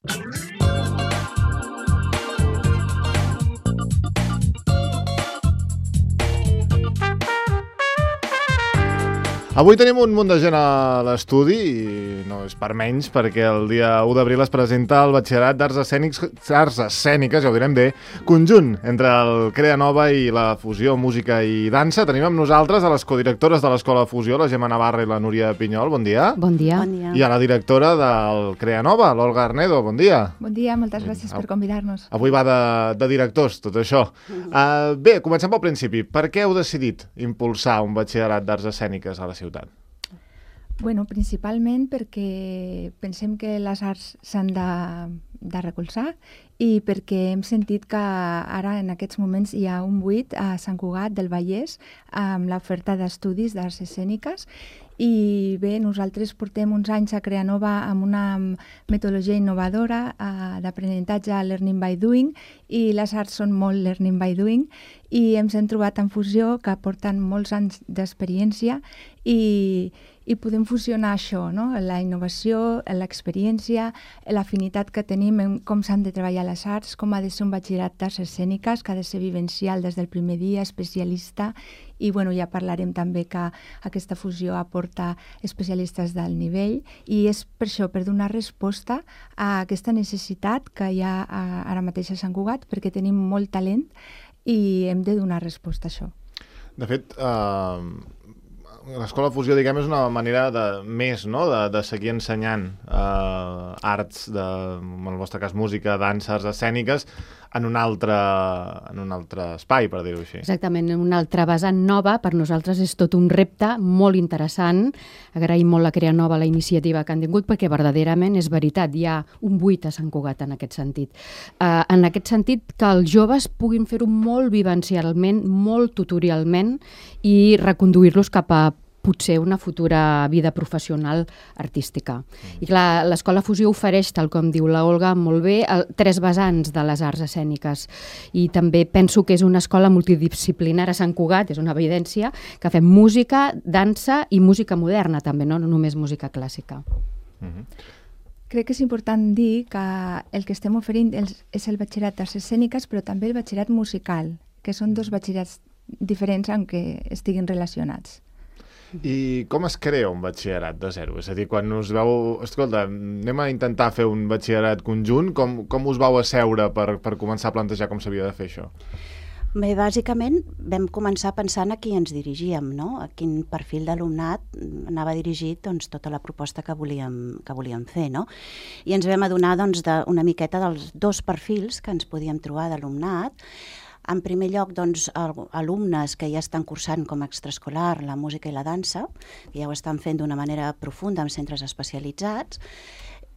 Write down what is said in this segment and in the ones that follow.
Avui tenim un munt de gent a l'estudi i no és per menys perquè el dia 1 d'abril es presenta el Batxillerat d'Arts Escèniques, ja ho direm bé, conjunt entre el Crea Nova i la Fusió Música i Dansa. Tenim amb nosaltres a les codirectores de l'Escola Fusió, la Gemma Navarra i la Núria Pinyol. Bon dia. Bon dia. Bon dia. I a la directora del Crea Nova, l'Olga Arnedo. Bon dia. Bon dia, moltes gràcies per convidar-nos. Avui va de directors, tot això. Bé, comencem pel principi. Per què heu decidit impulsar un batxillerat d'arts escèniques a la ciutat? Bueno, principalment perquè pensem que les arts s'han de recolzar i perquè hem sentit que ara en aquests moments hi ha un buit a Sant Cugat del Vallès amb l'oferta d'estudis d'arts escèniques. I bé, nosaltres portem uns anys a Crea Nova amb una metodologia innovadora d'aprenentatge Learning by Doing, i les arts són molt Learning by Doing, i ens hem trobat en Fusió que porten molts anys d'experiència i podem fusionar això, no? La innovació, l'experiència, l'afinitat que tenim en com s'han de treballar les arts, com ha de ser un batxillerat d'arts escèniques, que ha de ser vivencial des del primer dia, especialista, i bueno, ja parlarem també que aquesta fusió aporta especialistes d'alt nivell, i és per això, per donar resposta a aquesta necessitat que hi ha ara mateix a Sant Cugat, perquè tenim molt talent i hem de donar resposta a això. De fet, l'Escola Fusió, diguem, és una manera més, no?, de seguir ensenyant arts, en el vostre cas música, dansa, arts escèniques, en un altre espai, per dir-ho així. Exactament, una altra vessant nova. Per nosaltres és tot un repte molt interessant. Agraïm molt a Crea Nova la iniciativa que han tingut, perquè verdaderament és veritat, hi ha un buit a Sant Cugat en aquest sentit. En aquest sentit, que els joves puguin fer-ho molt vivencialment, molt tutorialment, i reconduir-los cap a potser una futura vida professional artística. I clar, l'Escola Fusió ofereix, tal com diu la Olga molt bé, 3 vessants de les arts escèniques, i també penso que és una escola multidisciplinar a Sant Cugat, és una evidència, que fem música, dansa i música moderna també, no només música clàssica. Crec que és important dir que el que estem oferint és el batxillerat d'arts escèniques, però també el batxillerat musical, que són 2 batxillerats diferents, aunque estiguin relacionats. I com es crea un batxillerat de zero? És a dir, quan us veu... Escolta, anem a intentar fer un batxillerat conjunt, com us vau asseure per començar a plantejar com s'havia de fer això? Bé, bàsicament vam començar pensant a qui ens dirigíem, no? A quin perfil d'alumnat anava dirigit tota la proposta que volíem fer, no? I ens vam adonar una miqueta dels 2 perfils que ens podíem trobar d'alumnat. En primer lloc, alumnes que ja estan cursant com a extraescolar la música i la dansa, que ja ho estan fent d'una manera profunda en centres especialitzats,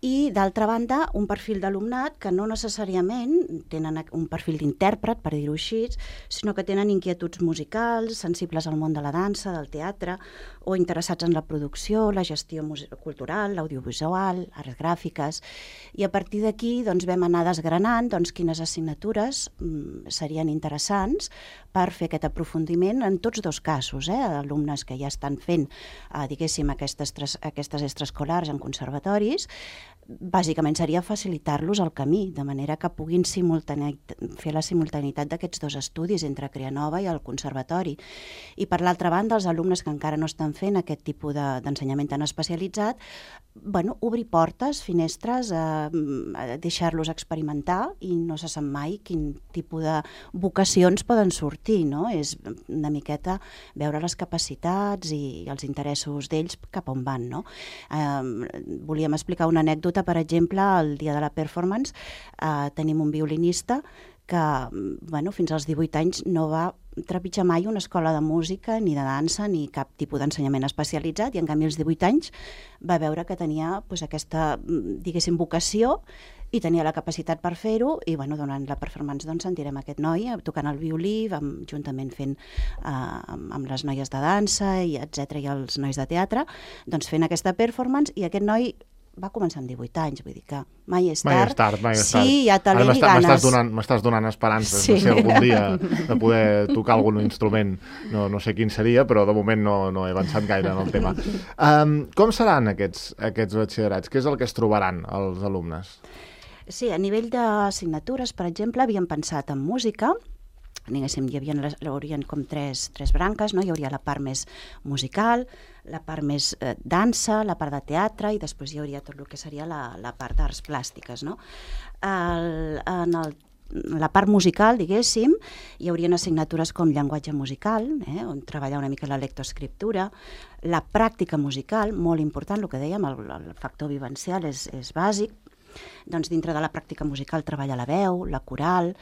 i, d'altra banda, un perfil d'alumnat que no necessàriament tenen un perfil d'intèrpret, per dir-ho així, sinó que tenen inquietuds musicals, sensibles al món de la dansa, del teatre, o interessats en la producció, la gestió cultural, l'audiovisual, arts gràfiques. I a partir d'aquí vam anar desgranant quines assignatures serien interessants per fer aquest aprofundiment en tots 2 casos, alumnes que ja estan fent, diguéssim, aquestes extraescolars en conservatoris. Bàsicament seria facilitar-los el camí, de manera que puguin fer la simultaneïtat d'aquests 2 estudis entre Crea Nova i el conservatori. I per l'altra banda, els alumnes que encara no estan fent aquest tipus d'ensenyament tan especialitzat, obrir portes, finestres, deixar-los experimentar, i no se sap mai quin tipus de vocacions poden sortir, no? És una miqueta veure les capacitats i els interessos d'ells cap on van, no? Volíem explicar una anècdota. Per exemple, el dia de la performance tenim un violinista que fins als 18 anys no va trepitjar mai una escola de música, ni de dansa, ni cap tipus d'ensenyament especialitzat, i en canvi als 18 anys va veure que tenia aquesta, diguéssim, vocació, i tenia la capacitat per fer-ho, i durant la performance sentirem aquest noi tocant el violí, juntament fent amb les noies de dansa, etc., i els nois de teatre, fent aquesta performance, i aquest noi va començar amb 18 anys, vull dir que mai és tard. Mai és tard. Sí, hi ha talent i ganes. M'estàs donant esperances, sí. De ser algun dia de poder tocar algun instrument. No sé quin seria, però de moment no he avançat gaire en el tema. Com seran aquests batxillerats? Què és el que es trobaran els alumnes? Sí, a nivell d'assignatures, per exemple, havíem pensat en música. Diguéssim, hi haurien com tres branques, no? Hi hauria la part més musical, la part més dansa, la part de teatre, i després hi hauria tot el que seria la part d'arts plàstiques, no? En la part musical, diguéssim, hi haurien assignatures com llenguatge musical, on treballar una mica la lectoescriptura, la pràctica musical, molt important, el que dèiem, el factor vivencial és bàsic. Doncs dintre de la pràctica musical treballar la veu, la coral,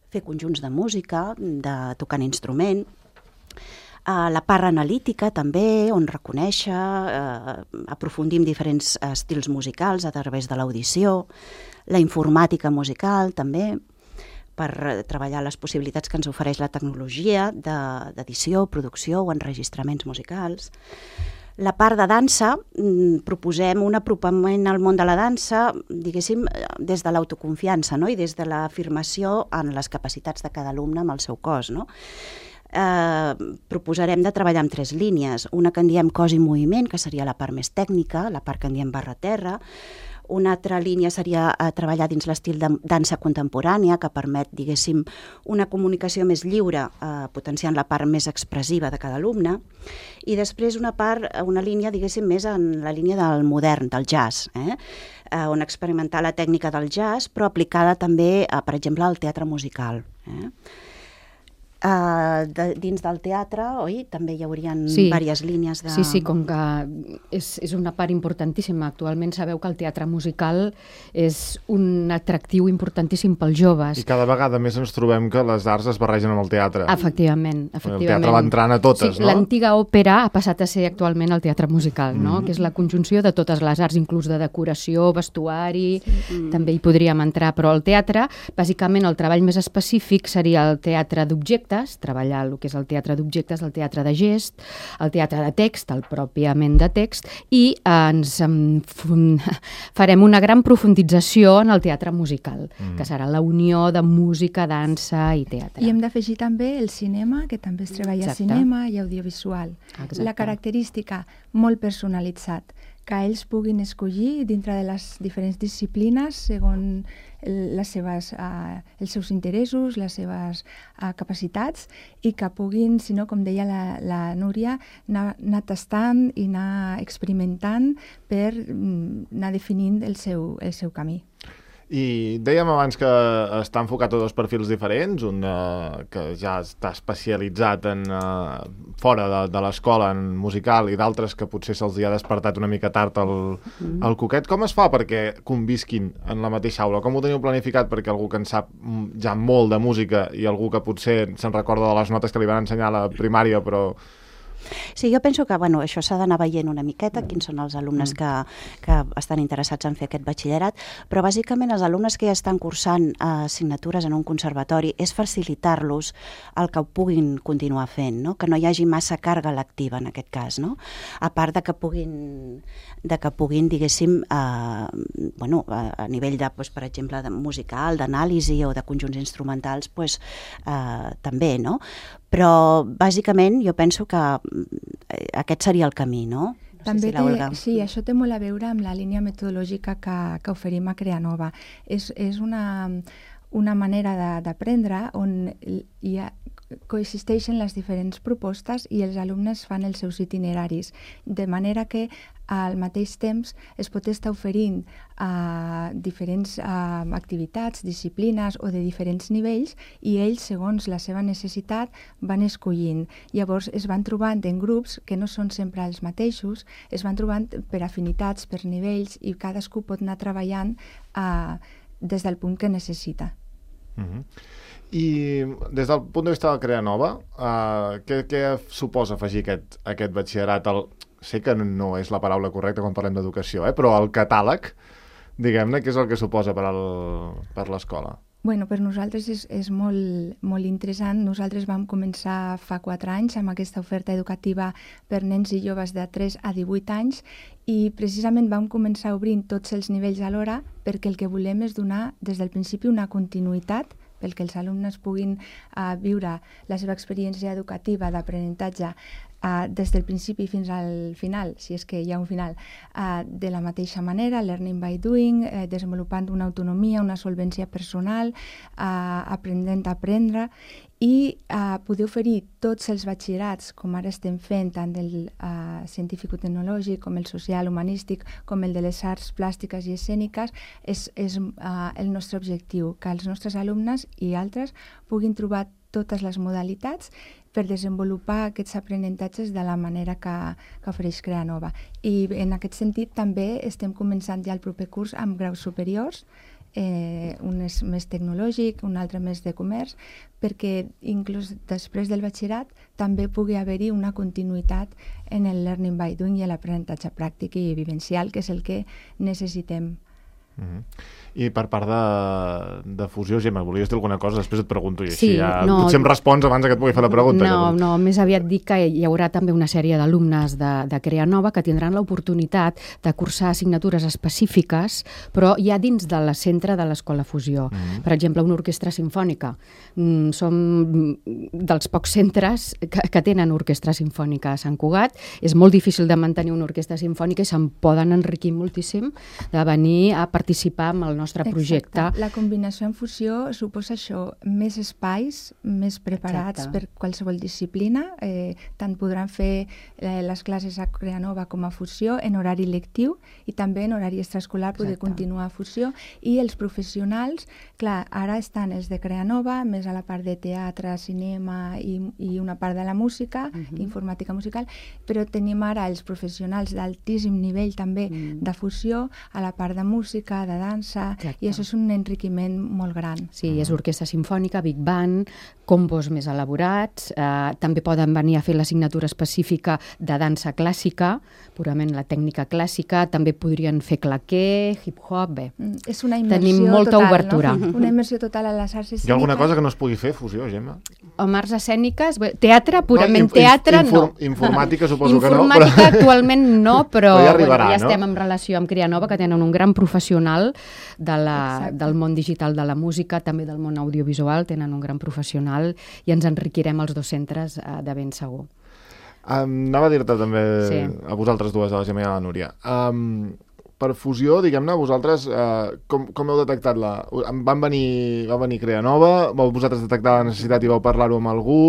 fer conjunts de música, de tocant instrument. La part analítica també, on reconèixer, aprofundim diferents estils musicals a través de l'audició, la informàtica musical també, per treballar les possibilitats que ens ofereix la tecnologia d'edició, producció o enregistraments musicals. La part de dansa, proposem un apropament al món de la dansa, diguéssim, des de l'autoconfiança, no? I des de l'afirmació en les capacitats de cada alumne amb el seu cos, no? Proposarem de treballar en 3 línies. Una que en diem cos i moviment, que seria la part més tècnica, la part que en diem barra terra. Una altra línia seria treballar dins l'estil de dansa contemporània, que permet, diguéssim, una comunicació més lliure, potenciant la part més expressiva de cada alumne. I després una línia, diguéssim, més en la línia del modern, del jazz, on experimentar la tècnica del jazz, però aplicada també, per exemple, al teatre musical. Dins del teatre, oi? També hi haurien diverses línies de... Sí, com que és una part importantíssima. Actualment sabeu que el teatre musical és un atractiu importantíssim pels joves. I cada vegada més ens trobem que les arts es barregen amb el teatre. Efectivament. El teatre va entrant a totes, no? L'antiga òpera ha passat a ser actualment el teatre musical, no? Que és la conjunció de totes les arts, inclús de decoració, vestuari, també hi podríem entrar, però el teatre, bàsicament el treball més específic seria el teatre d'objectes, treballar el que és el teatre d'objectes, el teatre de gest, el teatre de text, el pròpiament de text, i ens farem una gran profundització en el teatre musical, que serà la unió de música, dansa i teatre. I hem d'afegir també el cinema, que també es treballa cinema i audiovisual. Exacte. La característica molt personalitzat, que ells puguin escollir dintre de les diferents disciplines segons els seus interessos, les seves capacitats, i que puguin, si no, com deia la Núria, anar tastant i anar experimentant per anar definint el seu camí. I dèiem abans que està enfocat a 2 perfils diferents, un que ja està especialitzat fora de l'escola en musical i d'altres que potser se'ls ha despertat una mica tard el coquet. Com es fa perquè convisquin en la mateixa aula? Com ho teniu planificat perquè algú que en sap ja molt de música i algú que potser se'n recorda de les notes que li van ensenyar a la primària, però... Sí, jo penso que això s'ha d'anar veient una miqueta, quins són els alumnes que estan interessats en fer aquest batxillerat, però bàsicament els alumnes que ja estan cursant assignatures en un conservatori és facilitar-los el que ho puguin continuar fent, no? Que no hi hagi massa càrrega lectiva en aquest cas, no? A part de que puguin, diguéssim, a nivell de, per exemple, de musical, d'anàlisi o de conjunts instrumentals, també, no? Però, bàsicament, jo penso que aquest seria el camí, no? També sí, això té molt a veure amb la línia metodològica que oferim a Creanova. És una manera d'aprendre on coexisteixen les diferents propostes i els alumnes fan els seus itineraris, de manera que al mateix temps es pot estar oferint diferents activitats, disciplines o de diferents nivells, i ells, segons la seva necessitat, van escollint. Llavors es van trobant en grups que no són sempre els mateixos, es van trobant per afinitats, per nivells, i cadascú pot anar treballant des del punt que necessita. I des del punt de vista de Creanova, què suposa afegir aquest batxillerat? Sé que no és la paraula correcta quan parlem d'educació, però el catàleg, diguem-ne, què és el que suposa per l'escola? Bueno, per nosaltres és molt interessant. Nosaltres vam començar fa 4 anys amb aquesta oferta educativa per nens i joves de 3 a 18 anys, i precisament vam començar obrint tots els nivells alhora perquè el que volem és donar des del principi una continuïtat perquè els alumnes puguin viure la seva experiència educativa d'aprenentatge des del principi fins al final, si és que hi ha un final, de la mateixa manera, learning by doing, desenvolupant una autonomia, una solvència personal, aprenent a aprendre, i poder oferir tots els batxillerats, com ara estem fent, tant el científico-tecnològic com el social-humanístic, com el de les arts plàstiques i escèniques, és el nostre objectiu, que els nostres alumnes i altres puguin trobar totes les modalitats per desenvolupar aquests aprenentatges de la manera que ofereix Creanova. I en aquest sentit també estem començant ja el proper curs amb graus superiors, un és més tecnològic, un altre més de comerç, perquè inclús després del batxillerat també pugui haver-hi una continuïtat en el learning by doing i l'aprenentatge pràctic i vivencial, que és el que necessitem. I per part de Fusió, Gemma, volies dir alguna cosa? Després et pregunto i així Sí, potser em respons abans que et pugui fer la pregunta. No, més aviat dic que hi haurà també una sèrie d'alumnes de Creanova que tindran l'oportunitat de cursar assignatures específiques, però ja dins del centre de l'Escola Fusió. Per exemple, una orquestra simfònica. Som dels pocs centres que tenen orquestra simfònica a Sant Cugat. És molt difícil de mantenir una orquestra simfònica i se'n poden enriquir moltíssim de venir a participar en el nostre projecte. Exacte. La combinació en Fusió suposa això, més espais, més preparats per qualsevol disciplina. Tant podran fer les classes a Creanova com a Fusió en horari lectiu i també en horari extraescolar poder continuar a Fusió. I els professionals, clar, ara estan els de Creanova, més a la part de teatre, cinema i una part de la música, informàtica musical, però tenim ara els professionals d'altíssim nivell també de Fusió, a la part de música, de dansa, i això és un enriquiment molt gran. Sí, és orquestra simfònica, big band, combos més elaborats, també poden venir a fer l'assignatura específica de dansa clàssica, purament la tècnica clàssica, també podrien fer claqué, hip-hop, bé. És una immersió tenim molta total, obertura. No? Una immersió total a les arts escèniques. Hi ha alguna cosa que no es pugui fer, Fusió, Gemma? Amb arts escèniques, teatre, purament teatre, no. Informàtica suposo que no. Informàtica actualment no, però ja arribarà, ja estem en relació amb Creanova, que tenen un gran professional del món digital de la música, també del món audiovisual, tenen un gran professional i ens enriquirem els dos centres de ben segur. Anava a dir-te també a vosaltres dues, a la Gemma i a la Núria. Per Fusió, diguem-ne, vosaltres com heu detectat va venir Creanova, vosaltres detectar la necessitat i vau parlar-ho amb algú?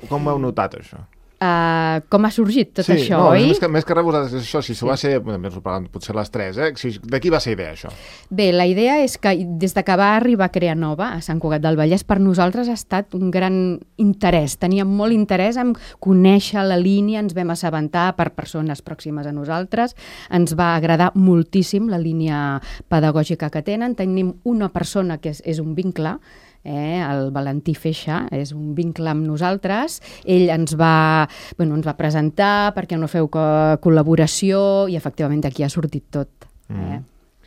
Com ho heu notat, això? Com ha sorgit tot això, oi? Més que res vosaltres, això, si s'ho va ser, potser les tres, de qui va ser idea, això? Bé, la idea és que des de que va arribar Creanova a Sant Cugat del Vallès, per nosaltres ha estat un gran interès. Teníem molt interès en conèixer la línia, ens vam assabentar per persones pròximes a nosaltres, ens va agradar moltíssim la línia pedagògica que tenen, tenim una persona que és un vincle, el Valentí Feixa, és un vincle amb nosaltres. Ell ens va presentar perquè no feu col·laboració i efectivament d'aquí ha sortit tot.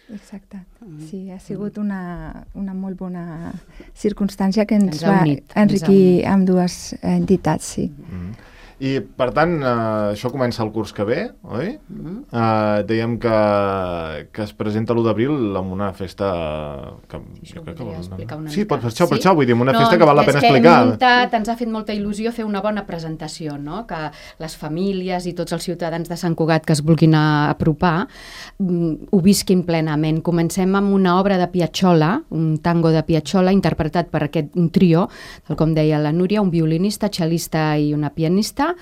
Exacte. Sí, ha sigut una molt bona circumstància que ens va enriquir amb dues entitats, sí. I, per tant, això comença el curs que ve, oi? Dèiem que es presenta l'1 d'abril amb una festa... Sí, per això, vull dir, una festa que val la pena explicar. Ens ha fet molta il·lusió fer una bona presentació, no? Que les famílies i tots els ciutadans de Sant Cugat que es vulguin apropar ho visquin plenament. Comencem amb una obra de Piazzolla, un tango de Piazzolla interpretat per un trio, tal com deia la Núria, un violinista, cel·lista i una pianista,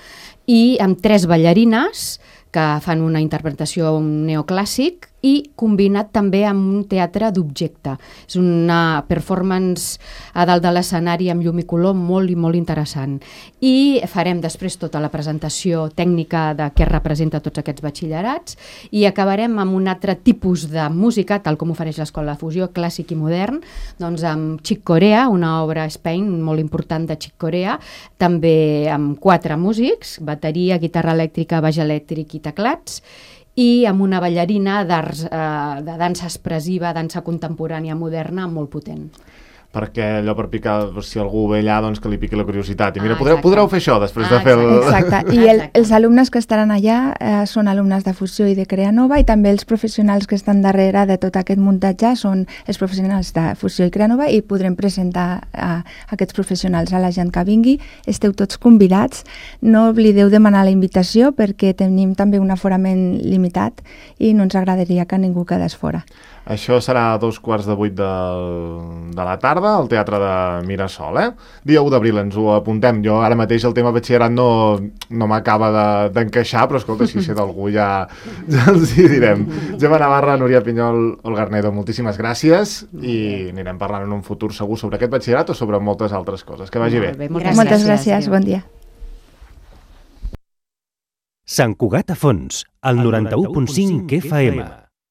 i amb 3 ballarines que fan una interpretació neoclàssic i combinat també amb un teatre d'objecte. És una performance a dalt de l'escenari amb llum i color molt i molt interessant. I farem després tota la presentació tècnica de què representa tots aquests batxillerats i acabarem amb un altre tipus de música, tal com ofereix l'Escola de Fusió, clàssic i modern, doncs amb Chick Corea, una obra Spain molt important de Chick Corea, també amb 4 músics, bateria, guitarra elèctrica, baix elèctric i teclats, i amb una ballarina de dansa expressiva, dansa contemporània moderna molt potent. perquè allò per picar, si algú ve allà, doncs que li piqui la curiositat. I mira, podreu fer això després de fer el... Exacte, i els alumnes que estaran allà són alumnes de fusió i de Creanova, i també els professionals que estan darrere de tot aquest muntatge són els professionals de fusió i Creanova, i podrem presentar aquests professionals a la gent que vingui. Esteu tots convidats, no oblideu demanar la invitació perquè tenim també un aforament limitat i no ens agradaria que ningú quedés fora. Això serà a 2:15 de la tarda al Teatre de Mirasol, Dia 1 d'abril, ens ho apuntem. Jo ara mateix el tema batxillerat no m'acaba d'encaixar, però escolta, si sé d'algú ja els hi direm. Gemma Navarra, Núria Pinyol, Olga Arnedo, moltíssimes gràcies i anirem parlant en un futur segur sobre aquest batxillerat o sobre moltes altres coses. Que vagi bé. Moltes gràcies, bon dia. Sant Cugat a Fons, al 91.5 FM.